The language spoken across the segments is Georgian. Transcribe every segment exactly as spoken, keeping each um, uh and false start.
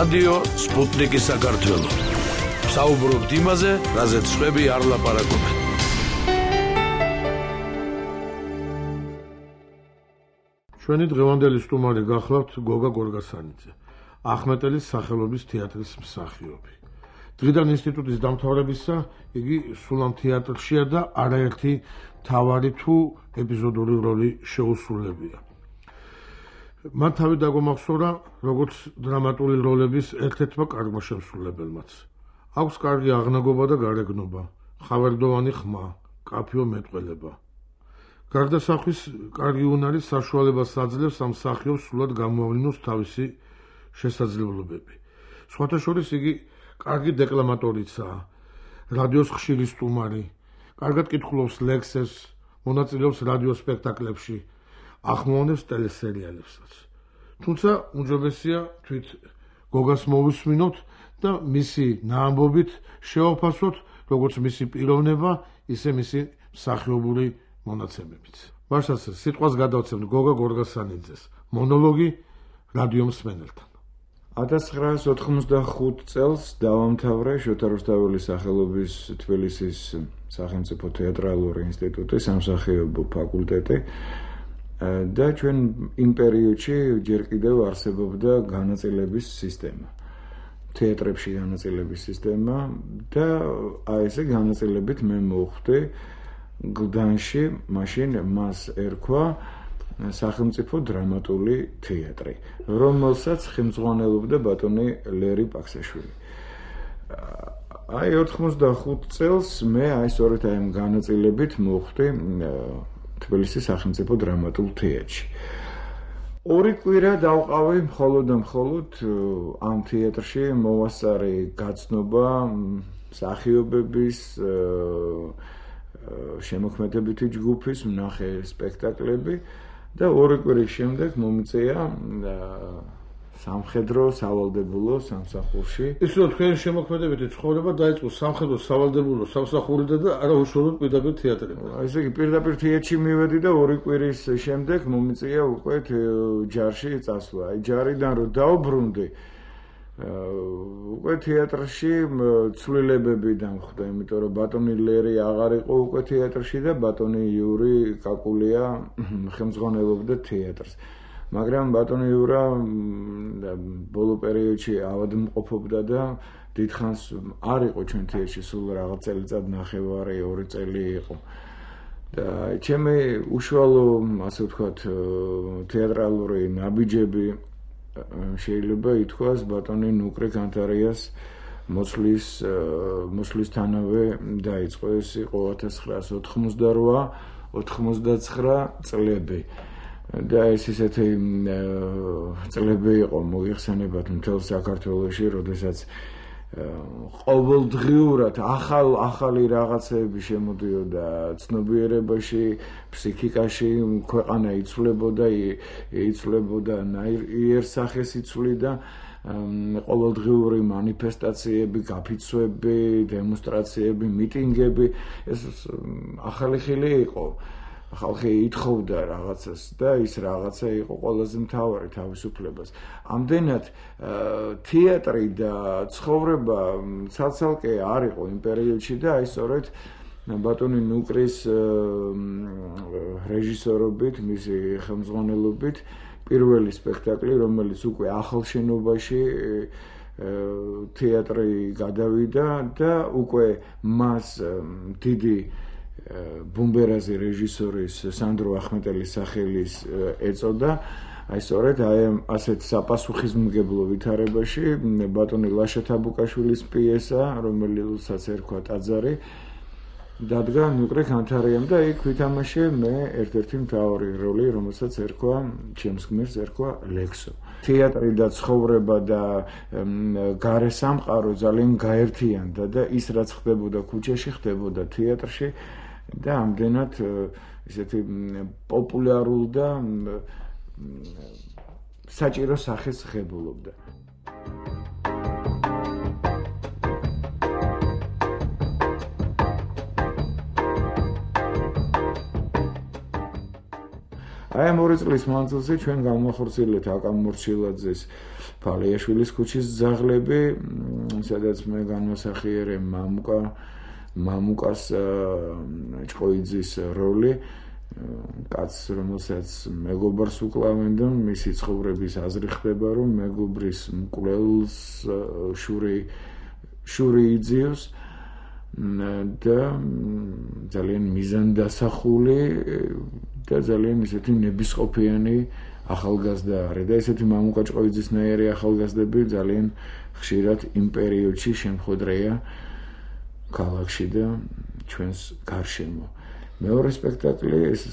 რადიო სპუტნიკი საქართველო. საუბრობთ იმაზე, რაზეც სხვები არ ლაპარაკობენ. ჩვენი დღევანდელი სტუმარი გახლავთ გოგა გორგასანიძე, ახმეტელის სახელობის თეატრის მსახიობი. დღიდან ინსტიტუტის დამთავრებისა იგი სულ ამ თეატრშია და არაერთი მთავარი თუ ეპიზოდური როლი შეუსრულებია. მან თავი დაგომახსოვრა როგორც დრამატული როლების ერთ-ერთმა კარგმა შემსრულებელმაც. აქვს კარგი აღნაგობა და გარეგნობა, ხავერდოვანი ხმა, კაფეო მეტყველება. გარდა სახვის კარგი უნარის საშუალებას აძლევს ამ მსახიობს სრულად გამოავლინოს თავისი შესაძლებლობები. სხვათა შორის იგი კარგი დეკლამატორიცაა, რადიოს ხშირი სტუმარი, კარგად კითხულობს ლექსებს, მონაწილეობს რადიო სპექტაკლებში, ახმოვანებს ტელესერიალებსაც. თუმცა უმჯობესია თვით გოგას მოვისმინოთ და მისი ნაამბობით შევაფასოთ როგორც მისი პიროვნება, ისე მისი მსახიობური მონაცემებიც. მაშასე სიტყვას გადავცემთ გოგა გორგასანიძეს, მონოლოგი რადიო მსმენელთან. ათას ცხრაასი ოთხმოცდახუთ წელს დავამთავრე შოთა რუსთაველის სახელობის თბილისის სახელმწიფო თეატრალური ინსტიტუტის სამსახიობო ფაკულტეტი და ჩვენ იმ პერიოდში ჯერ კიდევ არსებობდა განაწილების სისტემა. თეატრებში განაწილების სისტემა და აი ესე განაწილებით მე მოვხვდი გლდანში, მაშინ მას ერქვა სახელმწიფო დრამატული თეატრი, რომელსაც ხელმძღვანელობდა ბატონი ლერი პაქსაშვილი. აი ოთხმოცდახუთ წელს მე აი სწორედ აი ამ განაწილებით მოვხვდი თბილისის სახელმწიფო დრამატულ თეატრში. ორი კვირა დავყავი მხოლოდ და მხოლოდ ამ თეატრში მოვასწარე გაცნობა მსახიობების შემოქმედებითი ჯგუფის ვნახე სპექტაკლები და ორი კვირის შემდეგ მომიწია სამხედრო სავალდებულო სამსახურში. ისე რომ თქვენი შემოქმედებითი ცხოვრება დაიწყო სამხედრო სავალდებულო სამსახურიდან და არა უშუალოდ პირდაპირ თეატრში. ესე იგი პირდაპირ თეატრში მივედი და ორი კვირის შემდეგ მომიწია უკვე ჯარში წასვლა. აი ჯარიდან რომ დავბრუნდი უკვე თეატრში ცვლილებები დამხვდა, იმიტომ რომ ბატონი ლერი აღარ იყო უკვე თეატრში და ბატონი იური კაკულია ხელმძღვანელობდა თეატრს. მაგრამ ბატონი იურა ბოლო პერიოდში ავადმყოფობდა და დიდხანს არ იყო ჩვენ თეატრში, სულ რაღაც წელიწად ნახევარი, ორი წელი იყო. და ჩემი უშუალო, ასე ვთქვათ, თეატრალური ნაბიჯები შეიძლება ითქვას ბატონი ნუკრე კანტარიას მოსვლის მოსვლისთანავე დაიწყო. ეს იყო ათას ცხრაასი ოთხმოცდარვა ოთხმოცდაცხრა წლები და ეს ისეთი წლები იყო მოიხსენებათ მთელ საქართველოში, როდესაც ყოველდღიურად ახალ ახალი რაღაცები შემოდიოდა ცნობიერებაში, ფსიქიკაში, ქვეყანა იცვლებოდა, იცვლებოდა იერსახეს იცვლიდა, ყოველდღიური მანიფესტაციები, გაფიცვები, დემონსტრაციები, მიტინგები, ეს ახალი ხილი იყო. ხალხი ითხოვდა რაღაცას და ის რაღაცა იყო ყველაზე მთავარი თავისუფლებას. ამდენად თეატრი და ცხოვრება ცალ-ცალკე არ იყო იმ პერიოდში და აი სწორედ ბატონი ნუკრის რეჟისორობით, მისი ხელმძღვანელობით პირველი სპექტაკლი, რომელიც უკვე ახალ შენობაში თეატრი გადავიდა და უკვე მას დიდი ბუმბერაზი რეჟისორის სანდრო ახმეტელის სახელის ეწოდა. აი სწორედ აი ასეთ საპასუხისმგებლო ვითარებაში ბატონი ლაშა თაბუკაშვილის პიესა, რომელსაც ერქვა ტაძარი, დადგა ნუკრე კანთარიამ და იქ ვითამაშე მე ერთ-ერთი მთავარი როლი, რომელსაც ერქვა ჩემს გმირს ერქვა ლექსო. თეატრი და ცხოვრება და გარე სამყარო ძალიან გაერთიანდა და ის რაც ხდებოდა ქუჩაში, ხდებოდა თეატრში და ამდენად ისეთი პოპულარულ და საჭირო სახეს ღებულობდა. აი ამ ორი წლის მანძილზე ჩვენ გამახორციელებთ აკამ მორჩილაძის ფალიაშვილის ქუჩის ძაღლები, სადაც მე განმასახიერე მამუკა მამუკას ჭყოიძის როლი, კაცს, რომელსაც მეგობრს უკლავენ და მისი ცხოვრების აზრი ხდება, რომ მეგობრის მკვლელს შური შური იძიოს და ძალიან მიზანდასახული და ძალიან ისეთი ნებისყოფიანი ახალგაზრდა არის და ესეთი მამუკა ჭყოიძისნაირი ახალგაზრდები ძალიან ხშირად იმ პერიოდში შემხვედრია ქალაქში და ჩვენს გარშემო. მეორე სპექტაკლი ეს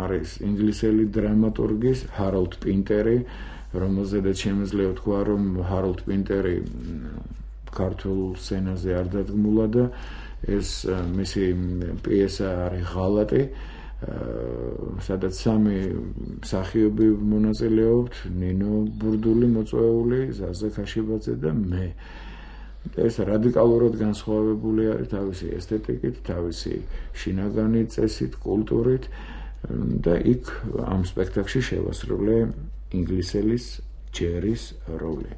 არის ინგლისელი დრამატურგის ჰაროლდ პინტერი, რომელზედაც შემიძლია თქვა, რომ ჰაროლდ პინტერი ქართულ სცენაზე არ დადგმულა და ეს მისი პიესა არის ღალატი, სადაც სამი მსახიობი მონაწილეობთ, ნინო ბურდული მოწვეული, ზაზა ქაშიბაძე და მე. ეს რადიკალურად განსხვავებული არის თავისი ესთეტიკით, თავისი შინაგანი წესით, კულტურით და იქ ამ სპექტაკლში შევასრულე ინგლისელის ჯერის როლი.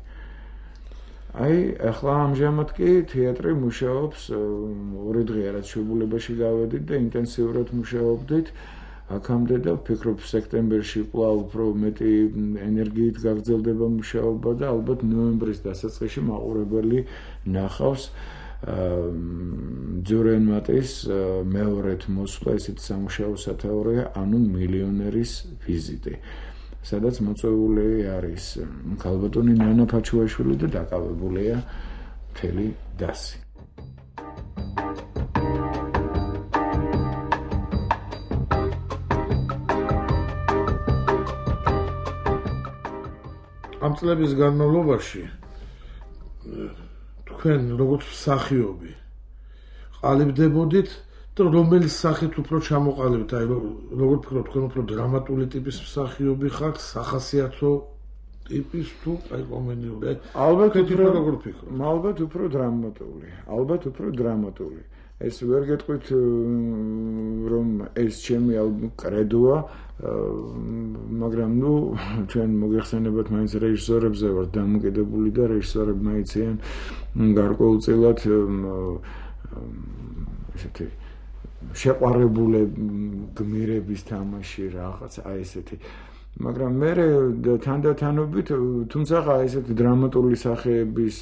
აი, ახლა ამჟამად კი თეატრი მუშაობს, ორი დღე რაც შეგულებაში გავედით და ინტენსიურად მუშაობდით. აქამდე და ვფიქრობ სექტემბერში კვლავ უფრო მეტი ენერგიით გაგრძელდება მუშაობა და ალბათ ნოემბრის დასაწყისში მაყურებელი ნახავს ძურენ მატის მეორედ მოსვლა, ესეთი სამუშაო სათაურია, ანუ მილიონერის ვიზიტი, სადაც მოწვეული არის ქალბატონი ნანა ფაჩუაშვილი და დაკავებულია მთელი დასი. ამ წლების განმავლობაში თქვენ როგორც მსახიობი ყალიბდებოდით და რომელი სახით უფრო ჩამოყალიბეთ, აი როგორ ფიქრობთ, თქვენ უფრო დრამატული ტიპის მსახიობი ხართ, სახასიათო ტიპის თუ აი კომედიური? ალბათ უფრო როგორ ფიქრობთ? ალბათ უფრო დრამატული, ალბათ უფრო დრამატული. ეს ვერ გეტყვით რომ ეს ჩემი კრედოა, მაგრამ ნუ ჩვენ მოგეხსენებათ მაინც რეჟისორებზე ვართ დამოკიდებული და რეჟისორებმა იციან გარკვეულწილად ესეთი შეყვარებულ გმირების თამაში რაღაც აი ესეთი, მაგრამ მე თანდათანობით, თუმცა ესეთი დრამატული სახეების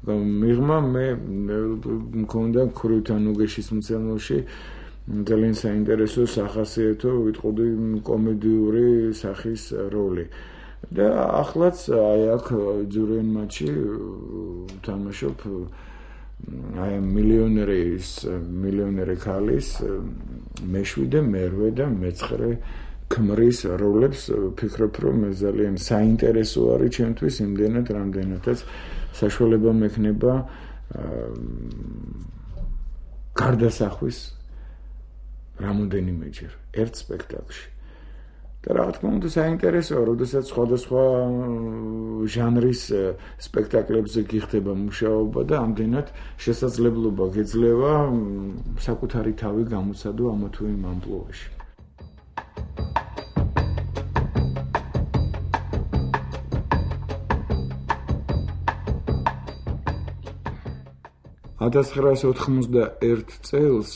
მიღმა მე მქონდა ქრუთან უგეშის მცემელში ძალიან საინტერესო სახასიათო ვიტყოდი კომედიური სახის როლი და ახლაც აი აქ ძურენ მატჩი ვთამაშობ აი მილიონერის მილიონერი ქალის მეშვიდე, მერვე და მეცხრე ქმრის როლებს. ვფიქრობ, რომ ეს ძალიან საინტერესო არის ჩემთვის, იმდენად რამდენადაც საშუალება მექნება გარდასახვის რამოდენიმეჯერ ერთ სპექტაკლში. და რა თქმა უნდა საინტერესოა, როდესაც სხვადასხვა ჟანრის სპექტაკლებზე გიხდება მუშაობა და ამდენად შესაძლებლობა გეძლევა საკუთარი თავი გამოცადო ამა თუ იმ ამპლუაში. ათას ცხრაასი ოთხმოცდაერთ წელს,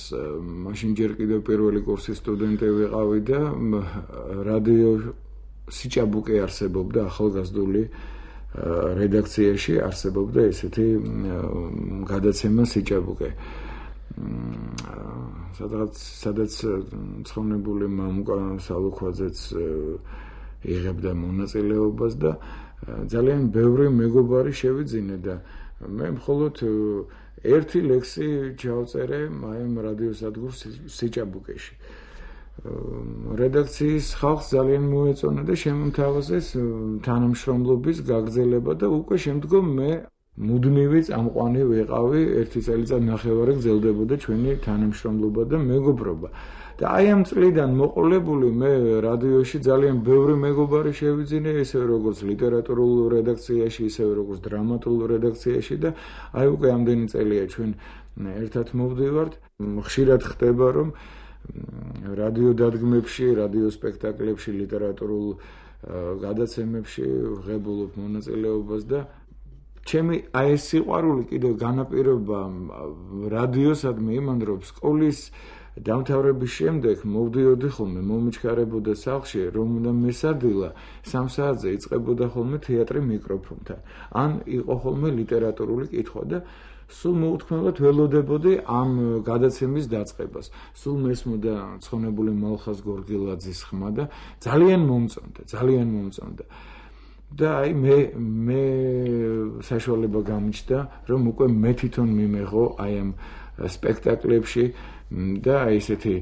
მაშინ ჯერ კიდევ პირველი კურსის სტუდენტი ვიყავი და რადიო სიჭაბუკე არსებობდა ახალგაზრდული რედაქციაში არსებობდა ესეთი გადაცემა სიჭაბუკე. სადაც სადაც ცხონებული მამუკა სალუქვაძეც იღებდა მონაწილეობას და ძალიან ბევრი მეგობარი შევიძინე და მე მხოლოდ ერთი ლექსი ჩავწერე მაიმ რადიოსადგურ სიჭაბუკეში. რედაქციის ხალხს ძალიან მოეწონა და შემოთავაზეს თანამშრომლობის გაგრძელება და უკვე შემდგომ მე მუდმივი წამყვანი ვიყავი, ერთი წელიწად ნახევარი გრძელდებოდა ჩვენი თანამშრომლობა და მეგობრობა. და აი ამ წლიდან მოყოლებული მე რადიოში ძალიან ბევრი მეგობარი შევიძინე, ისე როგორც ლიტერატურულ რედაქციაში, ისე როგორც დრამატულ რედაქციაში და აი უკვე ამდენი წელია ჩვენ ერთად მოვდივართ. ხშირად ხდება, რომ რადიო დადგმებში, რადიო სპექტაკლებში, ლიტერატურულ გადაცემებში ვღებულობ მონაწილეობას და ჩემი აი ეს სიყვარული კიდევ განაპირობა რადიოსადმი იმან რომ სკოლის დამთავრების შემდეგ მოვდიოდი ხოლმე მომიჩქარებოდა სახლში რომ უნდა მესადილა სამ საათზე იწყებოდა ხოლმე თეატრი მიკროფონთან ან იყო ხოლმე ლიტერატურული კითხვა და სულ მოუთქმელად ველოდებოდი ამ გადაცემის დაწყებას სულ მესმოდა ცხონებული მალხაზ გორგილაძის ხმა და ძალიან მომწონდა ძალიან მომწონდა და აი მე მე საშუალება გამიჩნდა რომ უკვე მე თვითონ მიმეღო აი ამ სპექტაკლებში და აი ესეთი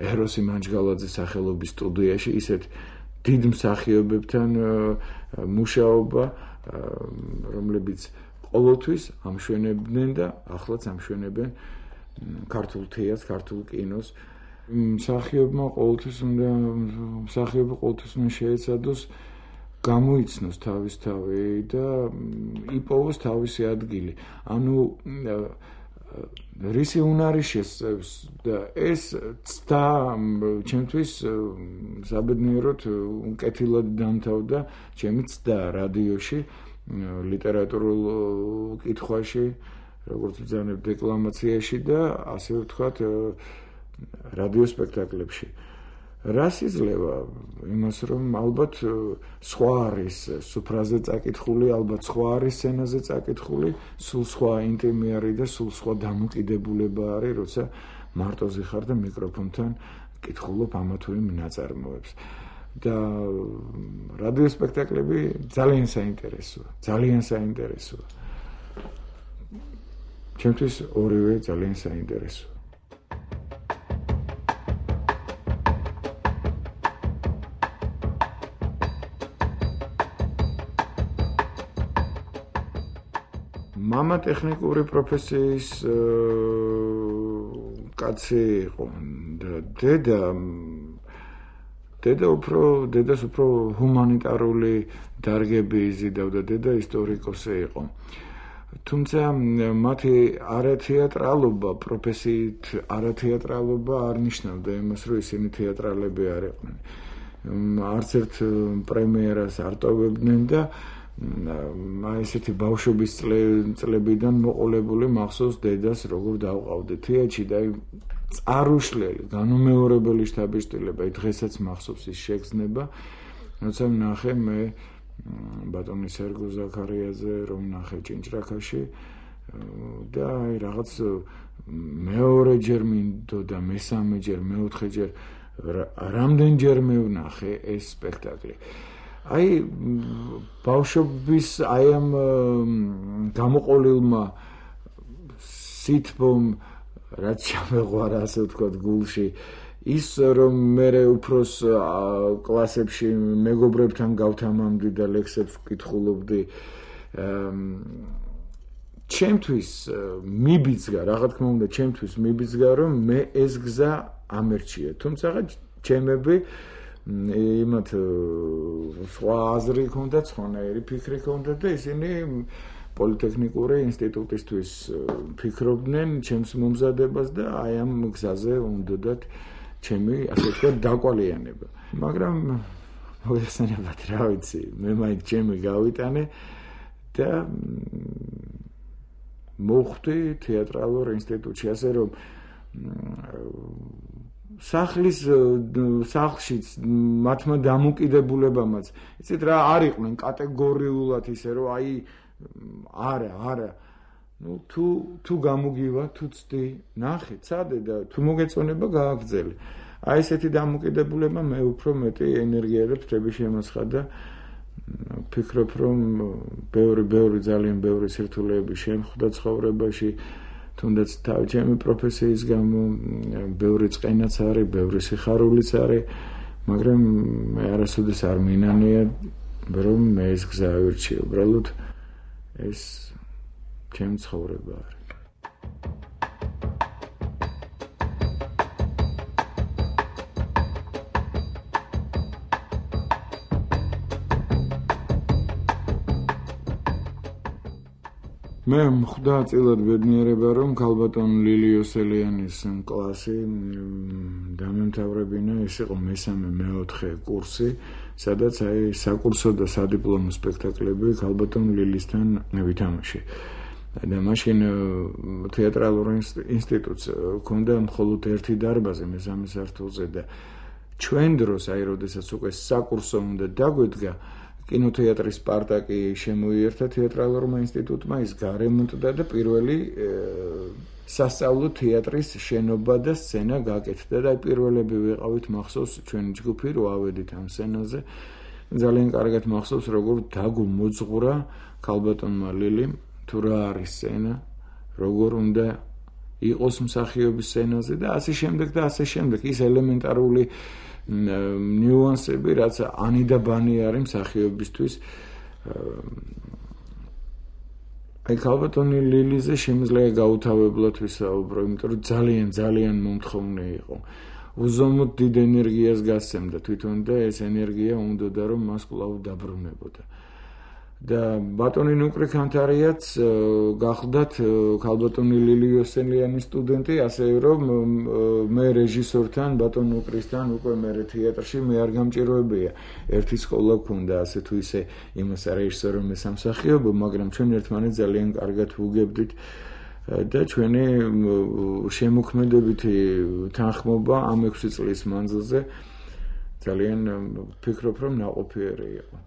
ეროსი მანჯგალაძის სახელობის სტუდიაში ისეთ დიდ მსახიობებთან მუშაობა რომლებიც ყოველთვის ამშვენებდნენ და ახლაც ამშვენებენ ქართულ თეატრს, ქართულ კინოს. მსახიობმა ყოველთვის უნდა მსახიობი ყოველთვის უნდა შეეცადოს გამოიცნოს თავის თავი და იპოვოს თავისი ადგილი. ანუ რისი უნარი შესწევს და ეს ცდა ჩემთვის საბედნიეროდ უკეთილად დამთავრდა ჩემი ცდა რადიოში ლიტერატურულ კითხვაში, როგორც ვძანებ დეკლამაციაში და ასე ვთქვათ რადიო სპექტაკლებში. რას იძლევა? იმას რომ ალბათ სხვა არის სუფრაზე წაკითხული, ალბათ სხვა არის სცენაზე წაკითხული, სულ სხვა ინტიმი არის და სულ სხვა დამოკიდებულება არის, როცა მარტოზე ხარ და მიკროფონთან კითხულობ ამა თუ იმ ნაწარმოებს. და რადიო სპექტაკლები ძალიან საინტერესოა, ძალიან საინტერესოა. ჩემთვის ორივე ძალიან საინტერესოა. მამა ტექნიკური პროფესიის კაცი იყო და დედა დედა უფრო დედას უფრო ჰუმანიტარული დარგები იზიდავდა, დედა ისტორიკოსი იყო. თუმცა მათი არათეატრალობა, პროფესიით არათეატრალობა არ ნიშნავდა იმას, რომ ისინი თეატრალები არ იყვნენ. არც ერთ პრემიერას არ ტოვებდნენ და აი ესეთი ბავშვობის წლებიდან მოყოლებული მახსოვს დედას როგორ დავყავდე თეატრში და აი წარუშლელი განუმეორებელი შთაბეჭდილება დღესაც მახსოვს ის შეგრძნება როცა ვნახე მე ბატონი სერგო ზაქარიაძე რომ ვნახე ჭინჭრაქაში და აი რაღაც მეორეჯერ მინდოდა მესამეჯერ მეოთხეჯერ რამდენჯერმე ვნახე ეს სპექტაკლი აი ბავშვობის აი ამ გამოყოლილმა სითბომ რაც ჩამეღვარა ასე ვთქვათ გულში ის რომ მე უფროს კლასებში მეგობრებთან გავთამამდი და ლექსებს ვკითხულობდი ჩემთვის მიბიძგა რა თქმა უნდა ჩემთვის მიბიძგა რომ მე ეს გზა ამერჩია თუმცა ჩემები იმათ სხვა აზრი ჰქონდა, სხვანაირი ფიქრი ჰქონდა და ისინი პოლიტექნიკური ინსტიტუტისთვის ფიქრობდნენ ჩემს მომზადებას და აი ამ გზაზე უნდათ ჩემი ასე ვთქვათ დაკვალიანება. მაგრამ მოიხსენებათ რა ვიცი, მე მაინც ჩემი გავიტანე და მოხვდი თეატრალურ ინსტიტუტში, ასე რომ სახლის სახლშიც მათმა დამოკიდებულებამაც იცით რა არ იყვნენ კატეგორიულად ისე რომ აი არა არა ну თუ თუ გამოგივა თუ ცდი ნახე წადე და თუ მოგეწონება გააგრძელე აი ესეთი დამოკიდებულება მე უფრო მეტი ენერგია და ფრთები შემოსხა და ფიქრობ რომ ბევრი ბევრი ძალიან ბევრი სირთულეები შემხვდა ცხოვრებაში თუნდაც თავი ჩემი პროფესიის გამო ბევრი წყენაც არის, ბევრი სიხარულიც არის, მაგრამ მე არასოდეს არ მინანია რომ მე ეს გზა ავირჩიე, უბრალოდ ეს ჩემი ცხოვრება არის. მე ხვდა წილად ბედნიერება რომ ქალბატონ ლილი ოსელიანის კლასი დამემთავრებინა, ეს იყო მესამე მეოთხე კურსი, სადაც აი საკურსო და სადიპლომო სპექტაკლები ქალბატონ ლილისთან ვითამაშე. და მაშინ თეატრალურ ინსტიტუტს ჰქონდა მხოლოდ ერთი დარბაზი მესამე სართულზე და ჩვენ დროს, აი როდესაც უკვე საკურსო უნდა დაგვედგა, კინოთეატრის სპარტაკი შემოიერთა თეატრალურმა ინსტიტუტმა, ის გარემონტდა და პირველი სასწავლო თეატრის შენობა და სცენა გაკეთდა და აი პირველები ვიყავით, მახსოვს ჩვენი ჯგუფი რო ავედით ამ სცენაზე. ძალიან კარგად მახსოვს როგორ დაგმოძღვრა ქალბატონმა ლილიმ თუ რა არის სცენა, როგორ უნდა იყოს მსახიობის სცენაზე და ასე შემდეგ და ასე შემდეგ. ის ელემენტარული ნიუანსები, რაც ანი და ბანი არის მსახიობისთვის. აი ქალბატონი ლილიზე შემიძლია გაუთავებლად ვისაუბრო, იმიტომ რომ ძალიან ძალიან მომთხოვნე იყო. უზომოდ დიდ ენერგიას გასცემდა თვითონ და ეს ენერგია უნდოდა რომ მას კვლავ დაბრუნებოდა. და ბატონი ნუკრი ქანთარიაც გახლდათ ქალბატონი ლილი ოსელიანის სტუდენტი, ასე რომ მე რეჟისორთან ბატონ ნუკრისთან უკვე მე თეატრში მე არ გამჭიროებია. ერთი სკოლა გქონდა ასე თუ ისე იმას რეჟისორო მე სამსახიობო, მაგრამ ჩვენ ერთმანეთს ძალიან კარგად ვუგებდით და ჩვენი შემოქმედებითი თანხმობა ამ ექვსი წლის მანძილზე ძალიან ვფიქრობ რომ ნაყოფიერი იყო.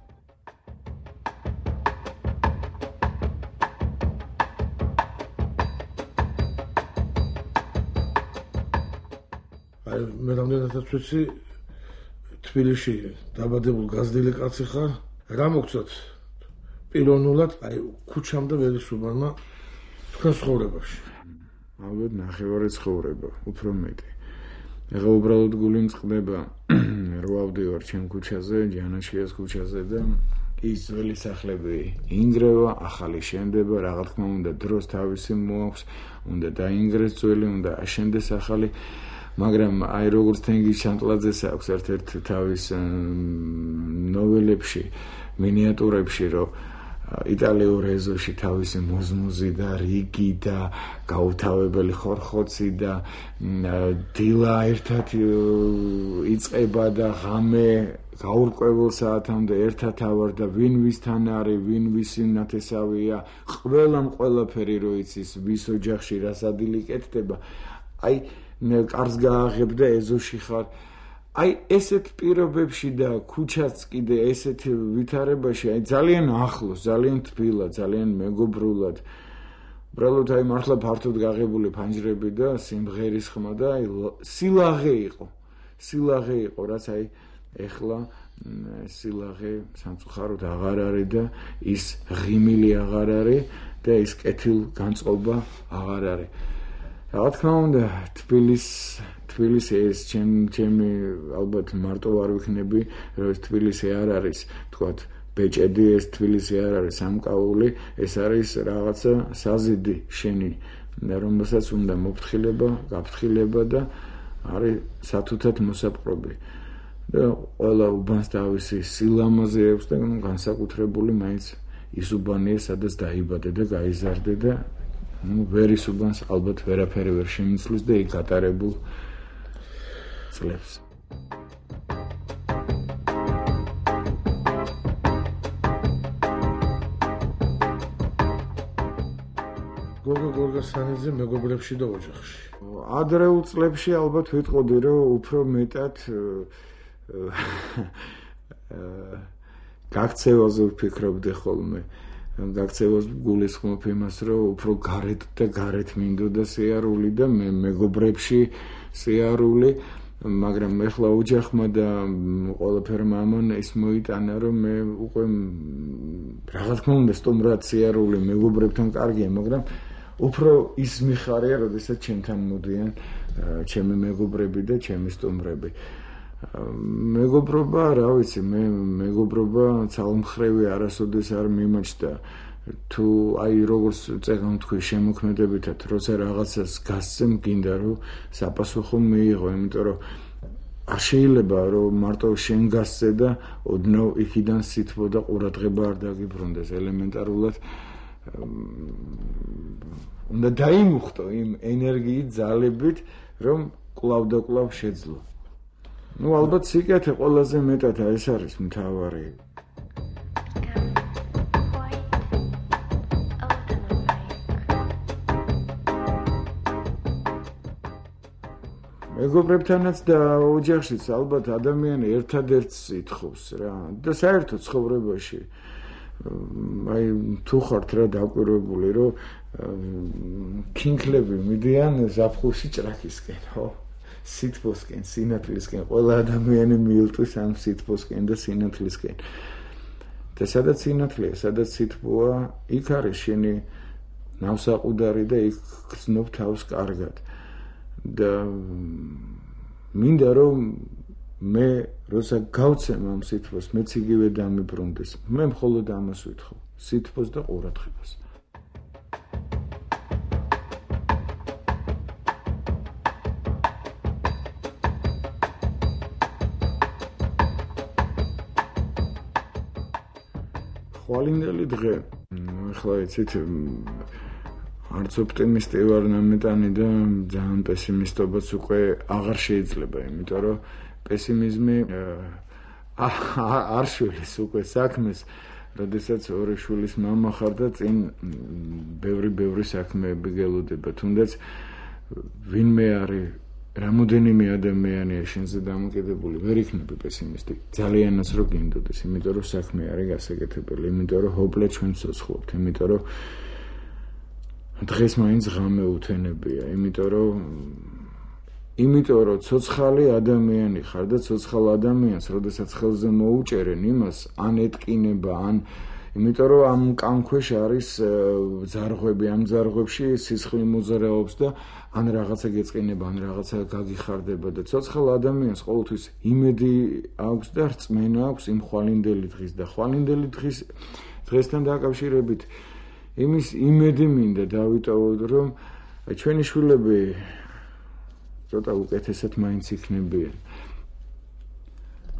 მე რამდენადაც ვიცი, თბილისში დაბადებულ გაზრდილი კაცი ხარ, რა მოგცათ პიროვნულად, აი ქუჩამ და ველისუბანმა თქვენ ცხოვრებაში? ალბათ ნახევარი ცხოვრება, უფრო მეტი. ეხლა უბრალოდ გული მწყდება, რო ავდივარ ჩემ ქუჩაზე, ჯანაშიას ქუჩაზე და ის ძველი სახლები ინგრევა, ახალი შენდება, რა თქმა უნდა დროს თავისი მოაქვს, უნდა დაინგრეს ძველი, უნდა აშენდეს ახალი. მაგრამ აი როგორც თენგიზ შანტლაძეს აქვს ერთ-ერთ თავის ნოველებში, მინიატურებში, რომ იტალიურ ეზოში თავისი მოზმოზი და რიგი და გაუთავებელი ხორხოცი და დილა ერთად იწყება და ღამე გაურკვეველ საათამდე ერთად ავარ და ვინ ვისთან არის, ვინ ვისი ნათესავია, ყველამ ყველაფერი რო იცის, ვის ოჯახში რა სადილი კეთდება. აი კარს გააღებ და ეზოში ხარ. აი ესეთ პირობებში და ქუჩაც კიდე ესეთ ვითარებაში, აი ძალიან ახლოს, ძალიან თბილად, ძალიან მეგობრულად. უბრალოდ აი მართლა ფართოდ გაღებული ფანჯრები და სიმღერის ხმა და აი სილაღე იყო. სილაღე იყო, რაც აი ეხლა სილაღე სამწუხაროდ აღარ არის და ის ღიმილი აღარ არის და ის კეთილ განწყობა აღარ არის. რა თქმა უნდა, თბილის თბილისი ეს ჩემი ალბათ მარტო არ ვიქნები, რომ ეს თბილისი არ არის, თქვათ, ბეჭედი, ეს თბილისი არ არის სამკაული, ეს არის რაღაცა საზიდი შენი, რომელსაც უნდა მოფრთხილება, გაფრთხილება და არის სათუთად მოსაპყრობი. და ყველა უბანს თავისი სილამაზე აქვს და განსაკუთრებული მაინც ის უბანია, სადაც დაიბადე და გაიზარდე და ну ვერის უბანს ალბათ ვერაფერი ვერ შემიცვლის და იქ გატარებულ წლებს. გოგო გორგასანიძე მეგობრებში და ოჯახში. ადრეულ წლებში ალბათ ვიტყოდი, რომ უფრო მეტად გაქცევაზე ვფიქრობდი ხოლმე. გაქცევას გულისხმობ იმას, რომ უფრო გარეთ და გარეთ მინდოდა სიარული და მე მეგობრებში სიარული, მაგრამ ეხლა ოჯახმა და ყველაფერმა ამან ის მოიტანა, რომ მე უკვე რა თქმა უნდა სტუმრად სიარული მეგობრებთან კარგია, მაგრამ უფრო ის მიხარია, როდესაც ჩემთან მოდიან ჩემი მეგობრები და ჩემი სტუმრები. მეგობრობა, რა ვიცი, მე მეგობრობა ცალმხრევი არასოდეს არ მიმაჩნდა. თუ აი როგორც წეგან თქვი შემოქმედებითად, როცა რაღაცას გასცემ, გინდა რომ საპასუხო მიიღო, იმიტომ რომ არ შეიძლება რომ მარტო შენ გასცე და ოდნავ იქიდან სითბო და ყურადღება არ დაგიბრუნდეს. ელემენტარულად უნდა დაიმუხტო იმ ენერგიით, ძალებით, რომ კვლავ და კვლავ შეძლო. ну ალბათ სიკეთე ყველაზე მეტად ეს არის მთავარი. მეგობრებთანაც და ოჯახშიც ალბათ ადამიანი ერთადერთს ითხოვს რა და საერთოდ ცხოვრებაში აი თუ ხართ რა დაკვირვებული რომ კინკლები მიდიან ზაფხულში ჭრაქისკენ ხო სითბოსკენ სინათლისკენ ყველა ადამიანი მიილტვის ამ სითბოსკენ და სინათლისკენ და სადაც სინათლეა სადაც სითბოა იქ არის შენი ნავსაყუდარი და იქ გრძნობ თავს კარგად და მინდა რომ მე როცა გავცემ ამ სითბოს მეც იგივე დამიბრუნდეს მე მხოლოდ ამას ვითხოვ სითბოს და ყურადღებას ხვალინდელი დღე ახლა იცით არც ოპტიმისტი ვარ ნამეტანი და ძალიან პესიმისტობაც უკვე აღარ შეიძლება, იმიტომ რომ პესიმიზმი არ შვილის უკვე საქმეს, როდესაც ორი შვილის მამა ხარ და წინ ბევრი-ბევრი საქმეები გელოდება, თუნდაც ვინმე არის რამოდენიმე ადამიანია შენზე დამოკიდებული, ვერ იქნები პესიმისტი. ძალიანაც რო გინდოდეს, იმიტომ რომ საქმე არის გასაკეთებელი, იმიტომ რომ ჰოპლე ჩვენ ცოცხლობთ, იმიტომ რომ დღეს მაინც ღამე უთენებია, იმიტომ რომ იმიტომ რომ ცოცხალი ადამიანი ხარ და ცოცხალ ადამიანს, როდესაც ხელზე მოუჭერენ იმას, ან ეტკინება, ან იმიტომ რომ ამ კანქვეშ არის ძარღვები, ამ ძარღვებში სისხლი მოძრაობს და ან რაღაცა გეწყინება, ან რაღაცა გაგიხარდება და ცოცხალ ადამიანს ყოველთვის იმედი აქვს და რწმენა აქვს იმ ხვალინდელი დღის და ხვალინდელი დღის დღესთან დაკავშირებით იმის იმედი მინდა დავიტოვოთ, რომ ჩვენი შვილები ცოტა უკეთესად მაინც იქნებიან.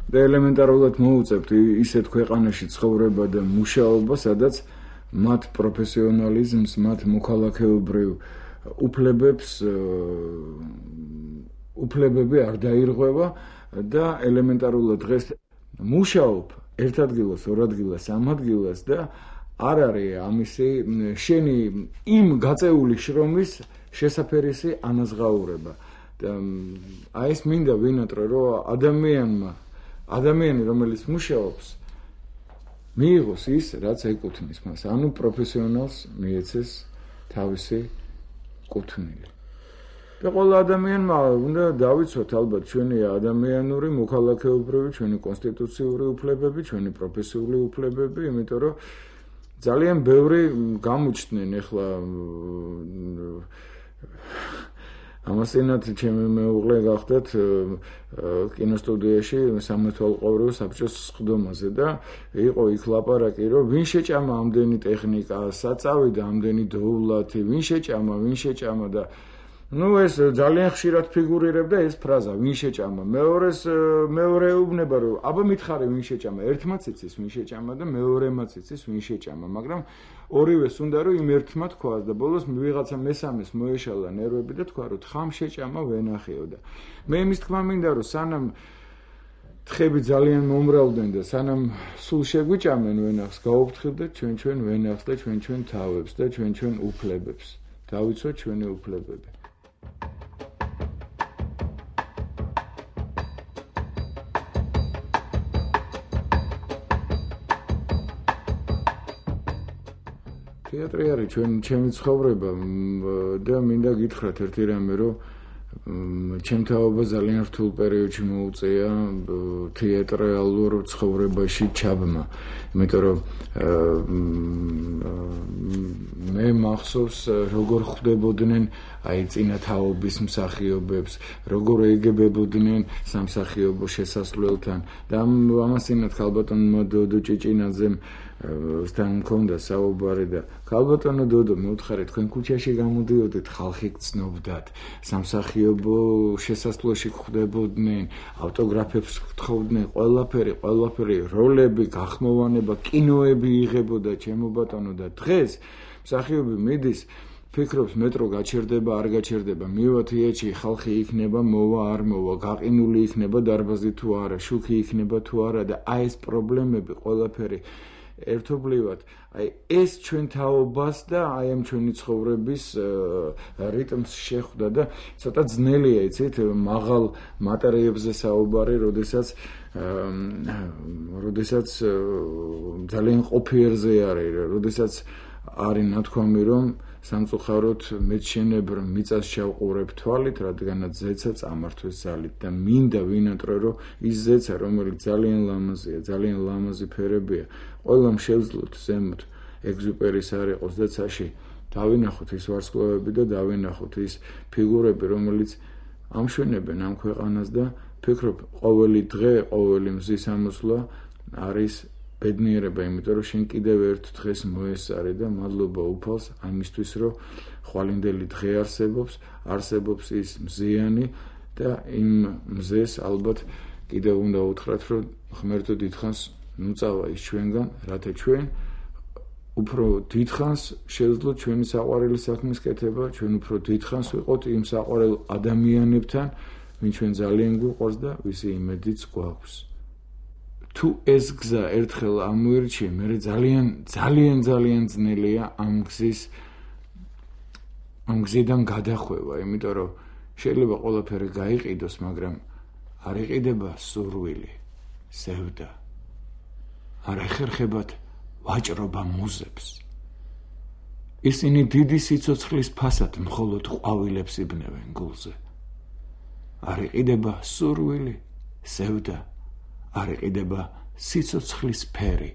და ელემენტარულად მოუწევთ ისეთ ქვეყანაში ცხოვრება და მუშაობა, სადაც მათ პროფესიონალიზმს, მათ მოქალაქეობრივ უფლებებს უფლებები არ დაირღვევა და ელემენტარულად დღეს მუშაობ ერთ ადგილას, ორ ადგილას, სამ ადგილას და არ არის ამისი შენი იმ გაწეული შრომის შესაფერისი ანაზღაურება. და აი ეს მინდა ვინატრე, რომ ადამიანმა ადამიანი რომელიც მუშაობს მიიღოს ის რაც ეკუთვნის მას, ანუ პროფესიონალს მიეცეს თავისი კუთვნილი. და ყველა ადამიანმა უნდა დავიცოთ ალბათ ჩვენი ადამიანური, მოქალაქეობრივი, ჩვენი კონსტიტუციური უფლებები, ჩვენი პროფესიული უფლებები, იმიტომ რომ ძალიან ბევრი გამოჩნდნენ ახლა ამასინათ ჩემი მეუღლე გახდათ კინოსტუდიაში სამეთვალყურეო საბჭოს სხდომაზე და იყო იქ ლაპარაკი რომ ვინ შეჭამა ამდენი ტექნიკა, საწავი და ამდენი დოვლათი, ვინ შეჭამა, ვინ შეჭამა და ну ეს ძალიან ხშირად ფიგურირებდა ეს ფრაზა ვინ შეჭამა. მეორეს მეორე ეუბნება რომ აბა მითხარი ვინ შეჭამა, ერთმაც იცის ვინ შეჭამა და მეორემაც იცის ვინ შეჭამა, მაგრამ ორივეს უნდა რომ იმ ერთმა თქვას და ბოლოს ვიღაცა მესამეს მოეშალა ნერვები და თქვა რომ თხამ შეჭამა ვენახეო და მე იმის თქმა მინდა რომ სანამ თხები ძალიან მომრავლდნენ და სანამ სულ შეგვიჭამენ ვენახს გაუფრთხილდეთ ჩვენ ჩვენ ვენახს და ჩვენ ჩვენ თავებს და ჩვენ ჩვენ უფლებებს დავიცოთ ჩვენი უფლებები. თეატრი არის ჩვენ ჩემი ცხოვრება და მინდა გითხრათ ერთი რამე რომ ჩემ თაობა ძალიან რთულ პერიოდში მოუწია თეატრალურ ცხოვრებაში ჩაბმა, იმიტომ რომ მე მახსოვს როგორ ხვდებოდნენ აი წინა თაობის მსახიობებს, როგორ ეგებებოდნენ სამსახიობო შესასვლელთან და ამასინათ ქალბატონმა დოდო ჭიჭინაძემ სთან მქონდა საუბარი და ქალბატონო დოდო მეუთხარი თქვენ ქუჩაში გამოდიოდით ხალხი გწნობდათ სამსახიობო შესასვლელში ხვდებოდნენ ავტოგრაფებს გთხოვდნენ ყველაფერი ყველაფერი როლები გახმოვანება კინოები იღებოდა ჩემო ბატონო და დღეს მსახიობი მიდის ფიქრობს მეტრო გაჩერდება არ გაჩერდება მივა თეატრში ხალხი იქნება მოვა არ მოვა გაყინული იქნება დარბაზი თუ არა შუქი იქნება თუ არა და აი ეს პრობლემები ყველაფერი ერთობლივად აი ეს ჩვენ თაობას და აი ამ ჩვენი ცხოვრების რიტმს შეხვდა და ცოტა ძნელია იცით მაღალ მატერიებზე საუბარი როდესაც როდესაც ძალიან ყოფიერზე არის როდესაც არის ნათქვამი რომ სამწუხაროდ მეჩენებრ მიწას შევყურებ თვალით რადგანაც ზეცა წამართვეს ძალით და მინდა ვინატრე რომ ის ზეცა რომელიც ძალიან ლამაზია ძალიან ლამაზი ფერებია ყველამ შევძლოთ ზემოთ ეგზუპერის არ იყოს და ცაში დავინახოთ ის ვარსკვლავები და დავინახოთ ის ფიგურები რომელიც ამშვენებენ ამ ქვეყანას და ფიქრობ ყოველი დღე ყოველი მზის ამოსვლა არის ბედნიერება, იმიტომ რომ შენ კიდევ ერთ დღეს მოესწარი და მადლობა უფალს ამისთვის, რომ ხვალინდელი დღე არსებობს, არსებობს ის მზიანი და იმ მზეს ალბათ კიდევ უნდა უთხრათ, რომ ღმერთო დიდხანს ნუ წავა ის ჩვენგან, რათა ჩვენ უფრო დიდხანს შევძლოთ ჩვენი საყვარელი საქმის კეთება, ჩვენ უფრო დიდხანს ვიყოთ იმ საყვარელ ადამიანებთან, ვინ ჩვენ ძალიან გვიყვარს და ვისი იმედიც გვაქვს. თუ ეს გზა ერთხელ ამოირჩიე, მე ძალიან ძალიან ძალიან ძნელია ამ გზის ამ გზიდან გადახვევა, იმიტომ რომ შეიძლება ყველაფერი გაიყიდოს, მაგრამ არ იყიდება სურვილი, ზევდა. არ ეხერხებათ ვაჭრობა მუზებს. ისინი დიდი სიცოცხლის ფასად მხოლოდ ყვავილებს იბნევენ გულზე. არ იყიდება სურვილი, ზევდა. არ იყიდება სიცოცხლის ფერი,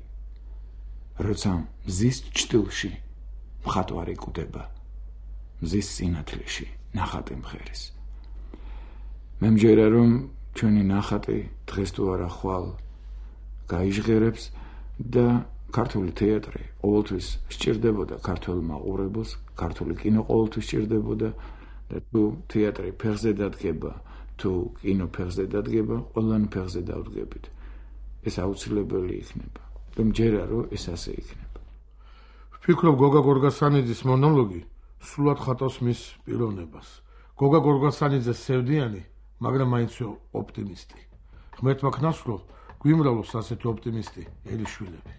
როცა მზის ჭტილში მხატვარი კვდება, მზის სინათლეში ნახატი მღერის. მე მჯერა რომ ჩვენი ნახატი დღეს თუ არა ხვალ გაიჟღერებს და ქართული თეატრი ყოველთვის სჭირდებოდა ქართულ მაყურებელს, ქართული კინო ყოველთვის სჭირდებოდა და თუ თეატრი ფეხზე დადგება თუ კინო ფეხზე დადგება, ყველანი ფეხზე დავდგებით. ეს აუცილებელი იქნება. და მჯერა რომ ეს ასე იქნება. ვფიქრობ გოგა გორგასანიძის მონოლოგი სულად ხატავს მის პიროვნებას. გოგა გორგასანიძე სევდიანი, მაგრამ მაინც ოპტიმისტი. ღმერთმა ქნას რომ გვიმრავლოს ასეთი ოპტიმისტი ელიშვილები.